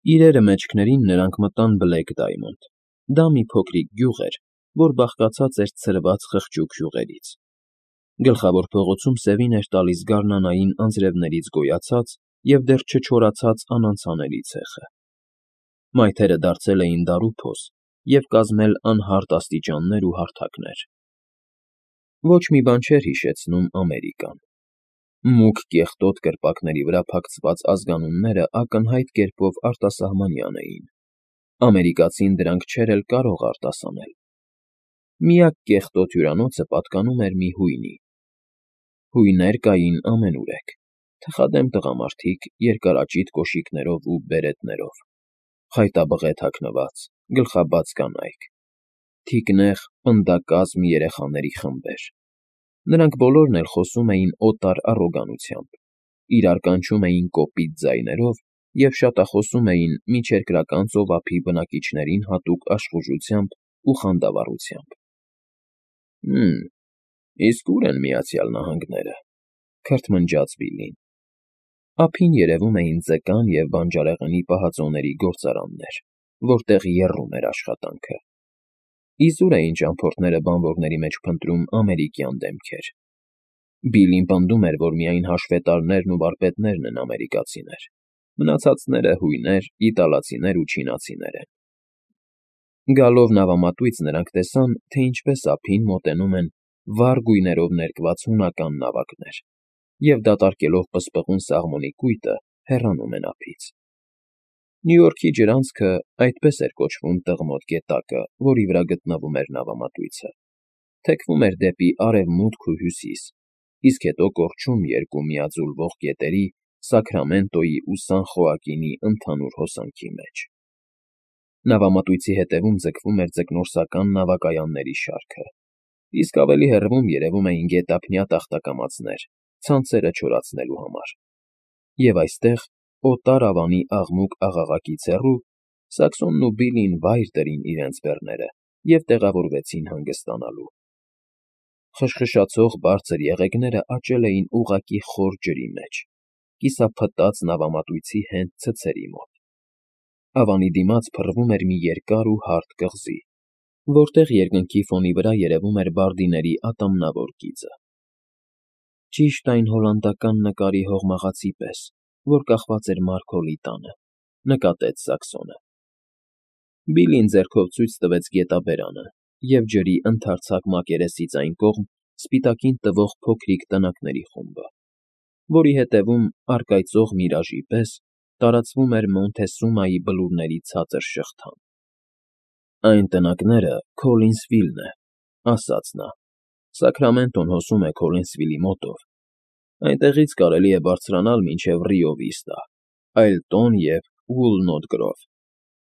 Իրերը մեջքներին նրանք մտան Բլեք Դայմոնդ. դա մի փոքրիկ գյուղ էր, որ բաղկացած էր ցրված խղճուկ հյուղերից։ Գլխավոր փողոցում սևին էր տալիս գարնանային անձրևներից գոյացած և դեռ չչորացած անանցանելի ցեխը։ Մայթերը դարձել էին դարուփոս և կազմել անհարթ աստիճաններ ու հարթակներ։ Ոչ մի բան չէր հիշեցնում Ամերիկան։ Մուգ կեղտոտ կրպակների վրա փակցված ազգանունները ակնհայտ կերպով արտասահմանյան էին։ Ամերիկացին դրանք չէր էլ կարող արտասանել։ Միակ կեղտոտ հյուրանոցը պատկանում էր մի հույնի։ Հույներ կային ամենուրեք. թխադեմ տղամարդիկ երկարաճիտ կոշիկներով ու բերետներով, խայտաբղետ հագնված, գլխաբաց կանայք, թիկնեղ, պնդակազմ երեխաների խմբեր։ Նրանք բոլորն էլ խոսում էին օտար առոգանությամբ, իրար կանչում էին կոպիտ ձայներով և շատախոսում էին միջերկրական ծովափի բնակիչներին հատուկ աշխուժությամբ ու խանդավառությամբ։ Իսկ ո՞ւր են Միացյալ Նահանգները,֊ քրթմնջաց Բիլլին։ Ափին երևում էին ձկան և բանջարեղենի պահածոների գործարաններ, որտեղ եռում էր աշխատանքը։ Իզուր էին ճամփորդները բանվորների մեջ փնտրում ամերիկյան դեմքեր։ Բիլլին պնդում էր, որ միայն հաշվետարներն ու վարպետներն են ամերիկացիներ, մնացածները հույներ, իտալացիներ ու չինացիներ են։ Գալով նավամատույց նրանք տեսան, թե ինչպես ափին մոտենում են վառ գույներով ներկված հունական նավակներ և, դատարկելով պսպղուն սաղմոնի կույտը, հեռանում են ափից։ Նյու Յորքի ջրանցքը այդպես էր կոչվում տղմոտ գետակը, որի վրա գտնվում էր նավամատույցը, թեքվում էր դեպի արևմուտք ու հյուսիս, իսկ հետո կորչում երկու միաձուլվող գետերի՝ Սաքրամենտոյի ու Սան Խոակինի ընդհանուր հոսանքի մեջ։ Նավամատույցի հետևում ձգվում էր ձկնորսական նավակայանների շարքը, իսկ ավելի հեռվում երևում էին գետափնյա տախտակամածներ՝ ցանցերը չորացնելու համար։ Եվ այստեղ, օտար ավանի աղմուկ-աղաղակից հեռու, Սաքսոնն ու Բիլլին վայր դրին իրենց բեռները և տեղավորվեցին հանգստանալու։ Խշխշացող բարձր եղեգները աճել էին ուղղակի խոր ջրի մեջ, կիսափտած նավամատույցի հենց ցցերի մոտ։ Ավանի դիմաց փռվում էր մի երկար ու հարթ կղզի, որտեղ երկնքի ֆոնի վրա երևում էր բարդիների ատամնավոր գիծը։ Ճիշտ այն հոլանդական նկարի հողմաղացի պես, որ կախված էր Մարգոլի տանը,֊ նկատեց Սաքսոնը։ Բիլլին ձեռքով ցույց տվեց գետաբերանը և ջրի ընդարձակ մակերեսից այն կողմ սպիտակին տվող փոքրիկ տնակների խումբը, որի հետևում, առկայծող միրաժի պես, տարածվում էր Մոնթեսումայի բլուրների ցածր շղթան։ Այն տնակները Քոլինսվիլն է,֊ ասաց նա։ Սաքրամենտոն հոսում է Քոլինսվիլի մոտով։ Այնտեղից կարելի է բարձրանալ մինչև Ռիո Վիստա, Այլտոն և Ուոլնոտ Գրով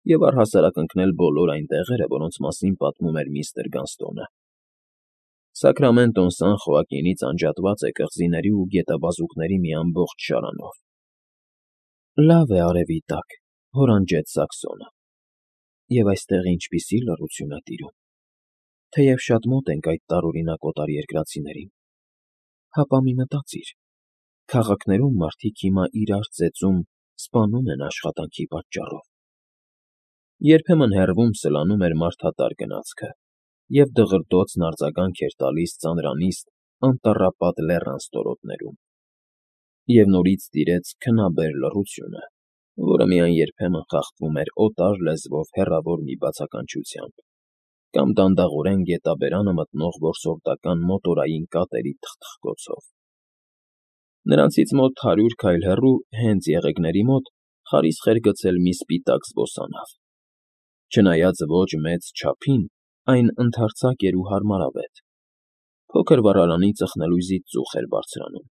և առհասարակ ընկնել բոլոր այն տեղերը, որոնց մասին պատմում էր միստր Գանստոնը։ Սաքրամենտոն Սան Խոակինից անջատված է կղզիների ու գետաբազուկների մի ամբողջ շարանով։ Լավ է արևի տակ,֊ հորանջեց Սաքսոնը։ Եվ այստեղ ինչպիսի լռություն է տիրում։ Թեև շատ մոտ ենք այդ տարօրինակ օտարերկրացիներին, հապա մի մտածիր. քաղաքներում մարդիկ հիմա իրար ծեծում, սպանում են աշխատանքի պատճառով։ Երբեմն հեռվում սլանում էր մարդատար գնացքը, և դղրդոցն արձագանք էր տալիս ծանրանիստ, անտառապատ լեռան ստորոտներում։ Եվ նորից տիրեց քնաբեր լռությունը, որը միայն երբեմն խախտվում էր օտար լեզվով հեռավոր մի բացականչությամբ կամ դանդաղորեն գետաբերանը մտնող որսորդական մոտորային կատերի թխթխկոցով։ Նրանցից մոտ 100 քայլ հեռու, հենց եղեգների մոտ, խարիսխ էր գցել մի սպիտակ զբոսանավ։ Չնայած ոչ մեծ չափին, այն ընդարձակ էր ու հարմարավետ։ Փոքր վառարանի ծխնելույզից ծուխ էր բարձրանում։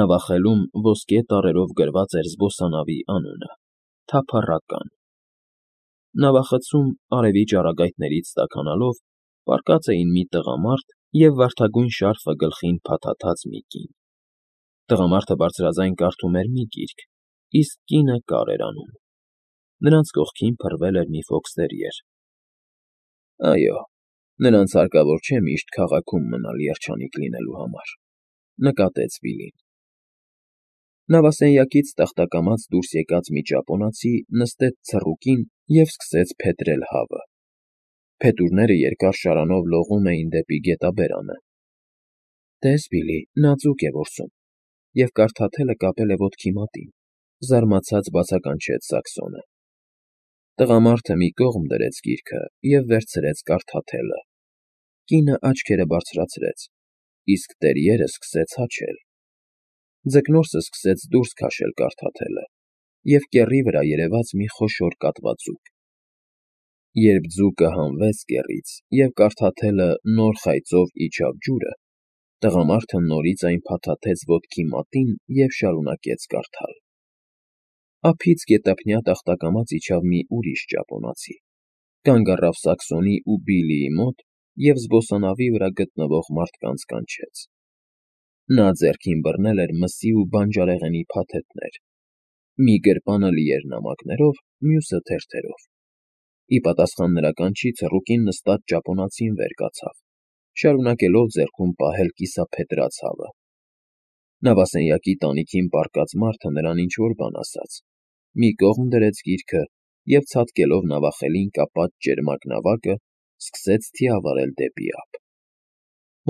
Նավախելում ոսկե տառերով գրված էր զբոսանավի անունը՝ Թափառական։ Նավախցում, արևի ճառագայթներից տաքանալով, պառկած էին մի տղամարդ և վարդագույն շարֆը գլխին փաթաթած մի կին։ Տղամարդը բարձրաձայն կարդում էր մի գիրք, իսկ կինը կար էր անում։ Նրանց կողքին փռվել էր մի ֆոքստերիեր։ Այո, նրանց հարկավոր չէ միշտ քաղաքում մնալ երջանիկ լինելու համար,֊ նկատեց Բիլլին։ Նավասենյակից տախտակամած դուրս եկած մի ճապոնացի նստեց ցռուկին և սկսեց փետրել հավը։ Փետուրները երկար շարանով լողում էին դեպի գետաբերանը։ «Տես, Բիլի, նա ձուկ է որսում, և կարդաթելը կապել է ոտքի մատին», զարմացած բացականչեց Սաքսոնը։ Տղամարդը մի կողմ դրեց գիրքը և վերցրեց կարդաթելը։ Կինը աչքերը բարձրացրեց, իսկ տերիերը սկսեց հաչել։ Ձկնորսը սկսեց դուրս քաշել կարդաթելը, և կեռի վրա երևաց մի խոշոր կատվաձուկ։ Երբ ձուկը հանվեց կեռից և կարդաթելը նոր խայծով իջավ ջուրը, տղամարդը նորից այն փաթաթեց ոտքի մատին և շարունակեց կարդալ։ Ափից գետափնյա տախտակամած իջավ մի ուրիշ ճապոնացի, կանգ առավ Սաքսոնի ու Բիլիի մոտ և զբոսանավի վրա գտնվող մարդկանց կանչեց։ Նա ձեռքին բռնել էր մսի ու բանջարեղենի փաթեթներ։ Մի գրպանը լի էր նամակներով, մյուսը թերթերով։ Ի պատասխան նրա կանչի ցռուկին նստած ճապոնացին վեր կացավ, շարունակելով ձեռքում պահել կիսափետրած հավը։ Նավասենյակի տանիքին պառկած մարդը նրան ինչ֊որ բան ասաց, մի կողմ դրեց գիրքը և, ցատկելով նավախելին կապած ճերմակ նավակը, սկսեց թիավարել դեպի ափ։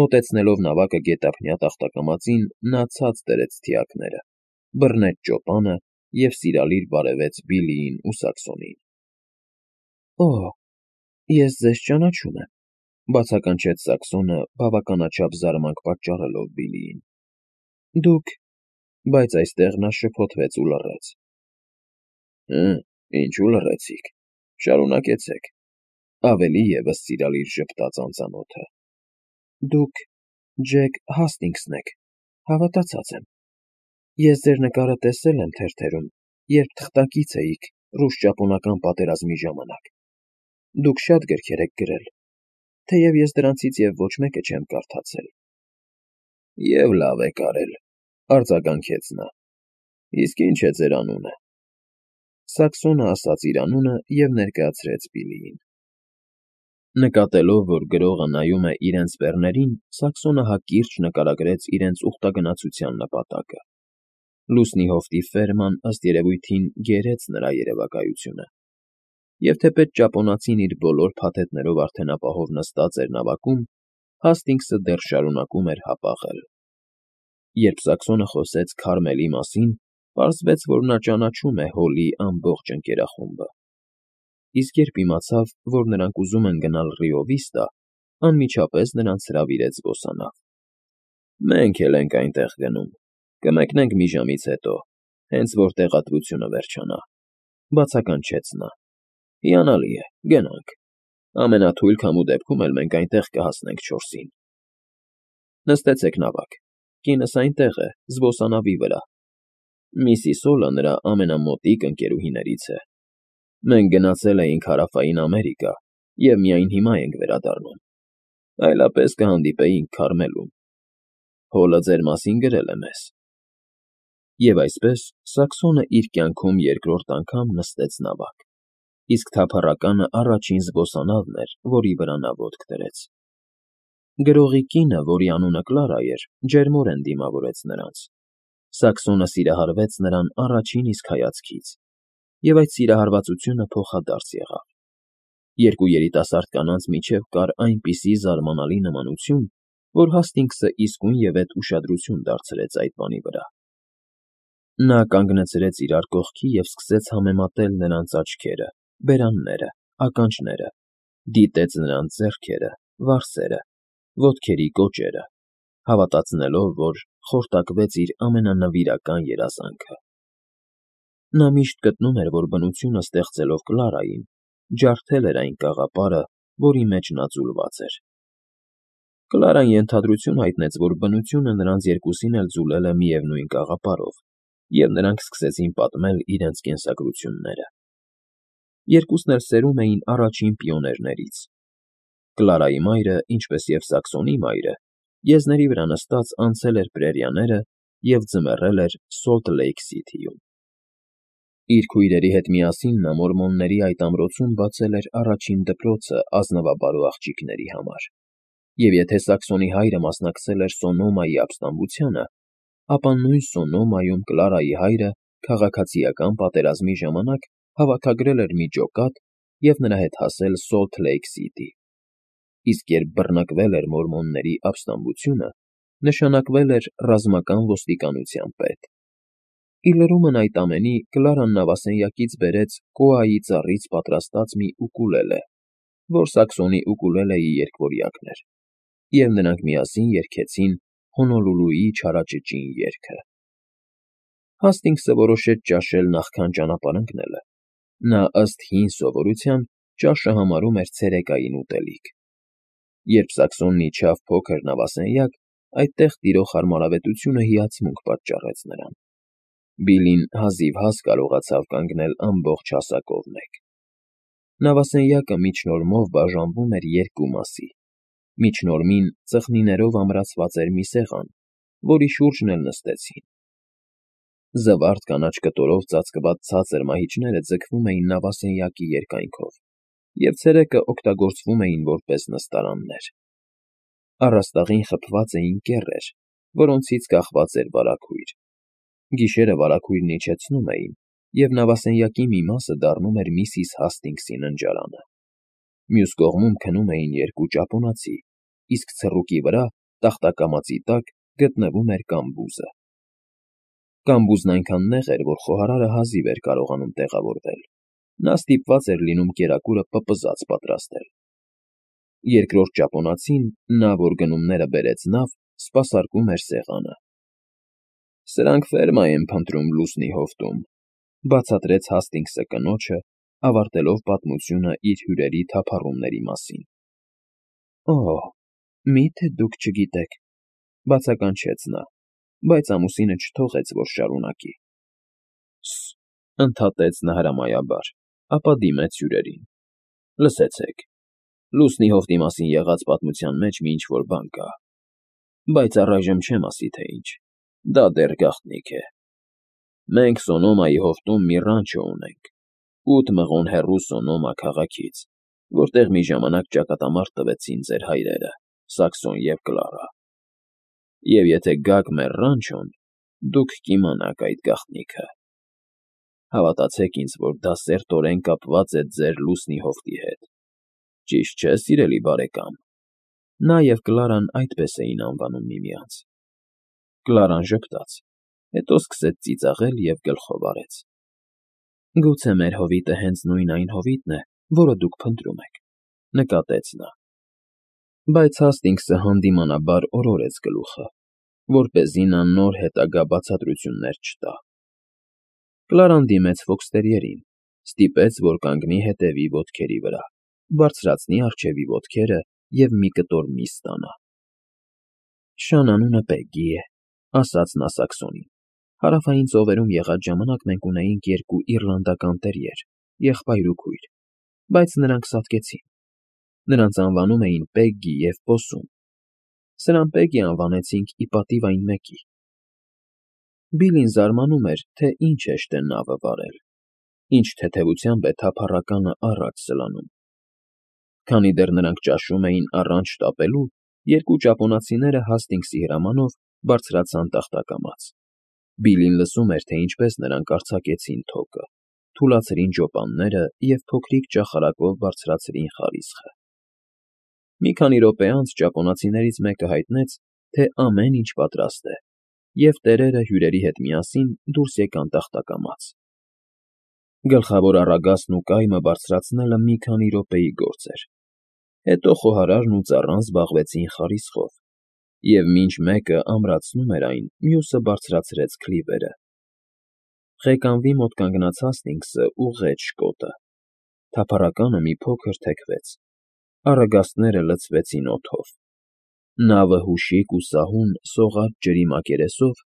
Մոտեցնելով նավակը գետափնյա տախտակամածին, նա ցած դրեց թիակները, բռնեց ճոպանը և սիրալիր բարևեց Բիլիին ու Սաքսոնին։ «Օ՜, ես ձեզ ճանաչում եմ», բացականչեց Սաքսոնը, բավականաչափ զարմանք պատճառելով Բիլիին։ «Դուք…» Բայց այստեղ նա շփոթվեց ու լռեց։ Ինչու լռեցիք, շարունակեցեք,֊ ավելի ևս սիրալիր ժպտաց անծանոթը։ «Դուք Ջեք Հասթինգսն եք, հավատացած եմ։ Ես ձեր նկարը տեսել եմ թերթերում, երբ թղթակից էիք ռուս֊ճապոնական պատերազմի ժամանակ։ Դուք շատ գրքեր եք գրել, թեև ես դրանցից և ոչ մեկը չեմ կարդացել»։ «Եվ լավ եք արել,֊ արձագանքեց նա։ Իսկ ի՞նչ է ձեր անունը»։ Սաքսոնը ասաց իր անունը և ներկայացրեց Բիլիին։ Նկատելով, որ գրողը նայում է իրենց բեռներին, Սաքսոնը հակիրճ նկարագրեց իրենց ուխտագնացության նպատակը։ Լուսնի հովտի ֆերման, ըստ երևույթին, գերեց նրա երևակայությունը։ Եվ թեպետ ճապոնացին իր բոլոր փաթեթներով արդեն ապահով նստած էր նավակում, Հասթինգսը դեռ շարունակում էր հապաղել։ Երբ Սաքսոնը խոսեց Քարմելի մասին, պարզվեց, որ նա ճանաչում է Հոլի ամբողջ ընկերախումբը։ Իսկ երբ իմացավ, որ նրանք ուզում են գնալ Ռիո Վիստա, անմիջապես նրանց հրավիրեց զբոսանավ։ «Մենք էլ ենք այնտեղ գնում, կմեկնենք մի ժամից հետո, հենց որ տեղատվությունը վերջանա,֊ բացականչեց նա։ «Հիանալի է, գնանք։ Ամենաթույլ քամու դեպքում էլ մենք այնտեղ կհասնենք 4-ին»։ Նստեցեք նավակ, կինս այնտեղ է, զբոսանավի վրա։ Միսիս Օլը նրա ամենամոտիկ ընկերուհիներից է։ Մենք գնացել էինք Հարավային Ամերիկա և միայն հիմա ենք վերադառնում, այլապես կհանդիպեինք Քարմելում։ Հոլը ձեր մասին գրել է մեզ։ Եվ այսպես Սաքսոնը իր կյանքում երկրորդ անգամ նստեց նավակ, իսկ թափառականը առաջին զբոսանավն էր, որի վրա նա ոտք դրեց։ Գրողի կինը, որի անունը Կլարա էր, ջերմորեն դիմավորեց նրանց։ Սաքսոնը սիրահարվեց նրան առաջին իսկ հայացքից, և այդ սիրահարվածությունը փոխադարձ եղավ։ Երկու երիտասարդ կանանց միջև կար այնպիսի զարմանալի նմանություն, որ Հասթինգսը իսկույնևեթ ուշադրություն դարձրեց այդ բանի վրա։ Նա կանգնացրեց իրար կողքի և սկսեց համեմատել նրանց աչքերը, բերանները, ականջները, դիտեց նրանց ձեռքերը, վարսերը, ոտքերի կոճերը, հավատացնելով, որ խորտակվեց իր ամենանվիրական երազանքը։ Նա միշտ գտնում էր, որ բնությունը ստեղծելով Կլարային, ջարդել էր այն կաղապարը, որի մեջ նա ձուլված էր։ Կլարան ենթադրություն հայտնեց, որ բնությունը նրանց երկուսին էլ ձուլել է միևնույն կաղապարով, և նրանք սկսեցին պատմել իրենց կենսագրությունները։ Երկուսն էլ սերում էին առաջին պիոներներից։ Կլարայի մայրը, ինչպես և Սաքսոնի մայրը, եզների վրա նստած անցել էր պրերիաները և ձմեռել էր Սոլթ Լեյք Սիթիում։ Իր քույրերի հետ միասին նա մորմոնների այդ ամրոցում բացել էր առաջին դպրոցը ազնվաբարո աղջիկների համար, և եթե Սաքսոնի հայրը մասնակցել էր Սոնոմայի ապստամբությանը, ապա նույն Սոնոմայում Կլարայի հայրը քաղաքացիական պատերազմի ժամանակ հավաքագրել էր մի ջոկատ և նրա հետ հասել Սոլթ Լեյք Սիթի, իսկ երբ բռնկվել էր մորմոնների ապստամբությունը, նշանակվել էր ռազմական ոստիկանության պետ։ Ի լրումն այդ ամենի Կլարան նավասենյակից բերեց կոայի ծառից պատրաստած մի ուկուլելե, որ սաքսոնի ուկուլելեի երկվորյակն էր, և նրանք միասին երգեցին Հոնոլուլուի չարաճճին երգը։ Հասթինգսը որոշեց ճաշել նախքան ճանապարհ ընկնելը. նա ըստ հին սովորության ճաշը համարում էր ցերեկային ուտելիք։ Երբ սաքսոնն իջավ փոքր նավասենյակ, այդտեղ տիրող հարմարավետությունը հիացմունք պատճառեց նրան։ Բիլլին հազիվ հաս կարողացավ կանգնել ամբողջ հասակով մեկ։ Նավասենյակը միջնորմով բաժանվում էր երկու մասի։ Միջնորմին ծխնիներով ամրացված էր մի սեղան, որի շուրջն էլ նստեցին։ Զվարթ կանաչ կտորով ծածկված ցածր մահիճները ձգվում էին նավասենյակի երկայնքով և ցերեկը օգտագործվում էին որպես նստարաններ։ Առաստաղին խփված էին կեռեր, որոնցից կախված էր վարագույր։ Գիշերը վարագույրն իջեցնում էին, և նավասենյակի մի մասը դառնում էր միսիս Հասթինգսի ննջարանը։ Մյուս կողմում քնում էին երկու ճապոնացի, իսկ ցռուկի վրա, տախտակամածի տակ, գտնվում էր կամբուզը։ Կամբուզն այնքան նեղ էր, որ խոհարարը հազիվ էր կարողանում տեղավորվել։ Նա ստիպված էր լինում կերակուրը պպզած պատրաստել։ Երկրորդ ճապոնացին, նա, որ գնումները բերեց նավ, սպասարկում էր սեղանը։ «Սրանք ֆերմա են փնտրում լուսնի հովտում», ֊ բացատրեց Հասթինգսը կնոջը, ավարտելով պատմությունը իր հյուրերի թափառումների մասին։ «Օհ, մի՞թե դուք չգիտեք», ֊ բացականչեց նա, բայց ամուսինը չթողեց, որ շարունակի։ «Սս», ֊ ընդհատեց նա հրամայաբար, ապա դիմեց հյուրերին։ «Լսեցեք, լուսնի հովտի մասին եղած պատմության մեջ մի ինչ֊որ բան կա, բայց առայժմ չեմ ասի, թե ինչ, դա դեռ գաղտնիք է։ Մենք Սոնոմայի հովտում մի ռանչո ունենք, 8 մղոն հեռու Սոնոմա քաղաքից, որտեղ մի ժամանակ ճակատամարտ տվեցին ձեր հայրերը՝ Սաքսոն և Կլարա։ Եվ եթե գաք մեր ռանչոն, դուք կիմանաք այդ գաղտնիքը։ Հավատացեք ինձ, որ դա սերտորեն կապված է ձեր լուսնի հովտի հետ։ Ճիշտ չէ՞, սիրելի բարեկամ»։ Նա և Կլարան այդպես էին անվանում միմյանց։ Կլարան ժպտաց, հետո սկսեց ծիծաղել և գլխով արեց։ «Գուցե մեր հովիտը հենց նույն այն հովիտն է, որը դուք փնտրում եք», ֊ նկատեց նա։ Բայց Հասթինգսը հանդիմանաբար օրորեց գլուխը, որպեսզի նա նոր հետագա բացատրություններ չտա։ Կլարան դիմեց ֆոքստերիերին, ստիպեց, որ կանգնի հետևի ոտքերի վրա, բարձրացնի առջևի ոտքերը և մի կտոր միս ստանա։ «Շան անունը Պեգգի է», ֊ ասաց նա Սաքսոնին։ «Հարավային ծովերում եղած ժամանակ մենք ունեինք երկու իռլանդական տերիեր, եղբայր ու քույր, բայց նրանք սատկեցին։ Նրանց անվանում էին Պեգգի և Պոսում։ Սրան Պեգգի անվանեցինք ի պատիվ այն մեկի»։ Բիլլին զարմանում էր, թե ինչ հեշտ է նավը վարել, ինչ թեթևությամբ է թափառականը առաջ սլանում։ Քանի դեռ նրանք ճաշում էին առանց շտապելու, երկու ճապոնացիները Հասթինգսի հրամանով բարձրացան տախտակամաց։ Բիլլին լսում էր, թե ինչպես նրանք արձակեցին թոկը, թուլացրին ջոպանները և փոքրիկ ճախարակով բարձրացրին խարիսխը։ Մի քանի րոպե անց ճապոնացիներից մեկը հայտնեց, թե ամեն ինչ պատրաստ է, և տերերը հյուրերի հետ միասին դուրս եկան տախտակամաց։ Գլխավոր առագաստն ու կայմը բարձրացնելը մի քանի րոպեի գործ էր։ Հետո խոհարարն ու ծառան զբաղվեցին խարիսխով, և մինչ մեկը ամրացնում էր այն, մյուսը բարձրացրեց քլիվերը։ Ղեկանվի մոտ կանգնած Հասթինգսը ուղղեց շկոտը։ Թափառականը մի փոքր թեքվեց, առագաստները լցվեցին օդով։ Նավը հուշիկ ու սահուն սողաց ջրի մակերեսով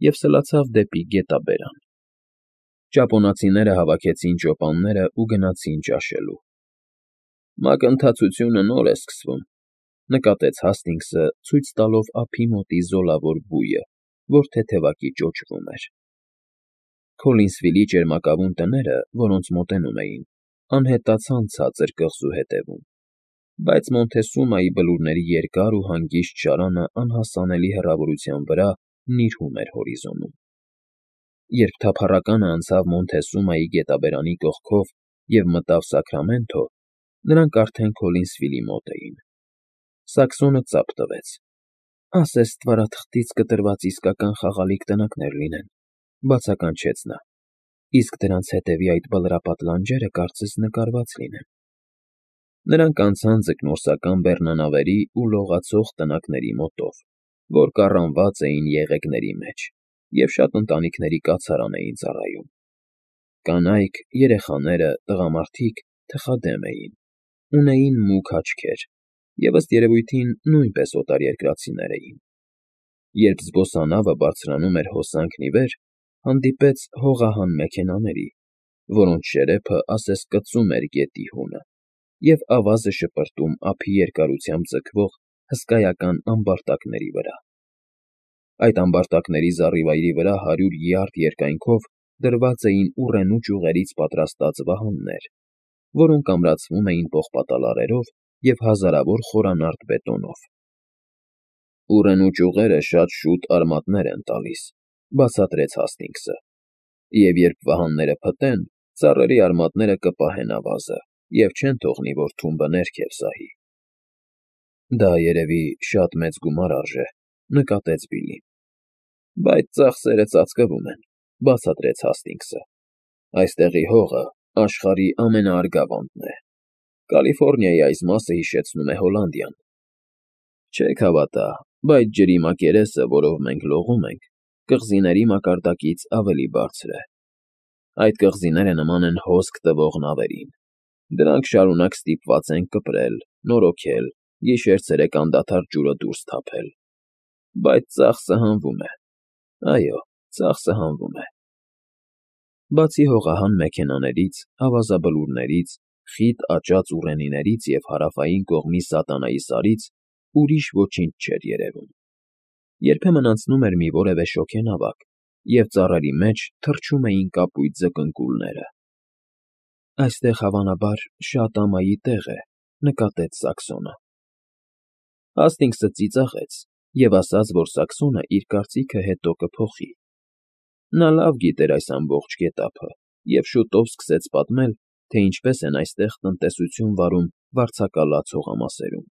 և սլացավ դեպի գետաբերան։ Ճապոնացիները հավաքեցին ջոպանները ու գնացին ճաշելու։ «Մակընթացությունը նոր է սկսվում», ֊ նկատեց Հասթինգսը, ցույց տալով ափի մոտի զոլավոր բույը, որ թեթևակի ճոճվում էր։ Քոլինսվիլի ճերմակավուն տները, որոնց մոտենում էին, անհետացան ցածր կղզու ետևում, բայց Մոնթեսումայի բլուրների երկար ու հանգիստ շարանը անհասանելի հեռավորության վրա նիրհում էր հորիզոնում։ Երբ թափառականը անցավ Մոնթեսումայի գետաբերանի կողքով և մտավ Սաքրամենթո, նրանք արդեն Քոլինսվիլի մոտ էին։ Սակսոնը ծափ տվեց։ «Ասես ստվարաթղթից կտրված իսկական խաղալիք տնակներ լինեն», բացականչեց նա, «իսկ դրանց հետևի այդ բլրապատ լանջերը կարծես նկարված լինեն»։ Նրանք անցան ձկնորսական բեռնանավերի ու լողացող տնակների մոտով, որ կառանված էին եղեգների մեջ, և շատ ընտանիքների կացարան էին ծառայում։ Կանայք, երեխաները, տղամարդիկ թխադեմ էին, ունեին մուգ աչքեր և, ըստ երևույթին, նույնպես օտարերկրացիներ էին։ Երբ զբոսանավը բարձրանում էր հոսանքն ի վեր, հանդիպեց հողահան մեքենաների, որոնց շերեփը ասես կծում էր գետի հունը, և ավազը շպրտում ափի երկարությամբ ձգվող հսկայական ամբարտակների վրա։ Այդ ամբարտակների զառիվայրի վրա 100 յարդ երկայնքով դրված էին ուռենու ճյուղերից պատրաստած վահաններ, որոնք ամրացվում էին պողպատալարերով և հազարավոր խորանարդ բետոնով։ «Ուռենու ճյուղերը շատ շուտ արմատներ են տալիս», բացատրեց Հասթինգսը, «և երբ վահանները փտեն, ծառերի արմատները կպահեն ավազը և չեն թողնի, որ թումբը ներքև սահի»։ «Դա, երևի, շատ մեծ գումար արժե», նկատեց Բիլլին։ «Բայց ծախսերը ծածկվում են», բացատրեց Հասթինգսը։ «Այստեղի հողը աշխարհի ամենաարգավանդն է։ Կալիֆոռնիայի այս մասը հիշեցնում է Հոլանդիան։ Չեք հավատա, բայց ջրի մակերեսը, որով մենք լողում ենք, կղզիների մակարդակից ավելի բարձր է։ Այդ կղզիները նման են հոսք տվող նավերին։ Դրանք շարունակ ստիպված են կպրել, նորոգել, գիշեր֊ցերեկ անդադար ջուրը դուրս թափել։ Բայց ծախսը հանվում է։ Այո, ծախսը հանվում է»։ Բացի հողահան մեքենաներից, ավազաբլուրներից, խիտ աճած ուռենիներից և հարավային կողմի Սատանայի Սարից ուրիշ ոչինչ չէր երևում։ Երբեմն անցնում էր մի որևէ շոգենավակ, և ծառերի մեջ թռչում էին կապույտ ձկնկուլները։ «Այստեղ, հավանաբար, շատ ամայի տեղ է», նկատեց Սաքսոնը։ Հասթինգսը ծիծաղեց և ասաց, որ Սաքսոնը իր կարծիքը հետո կփոխի։ Նա լավ գիտեր այս ամբողջ գետափը և շուտով սկսեց պատմել, թե ինչպես են այստեղ տնտեսություն վարում վարձակալած հողամասերում։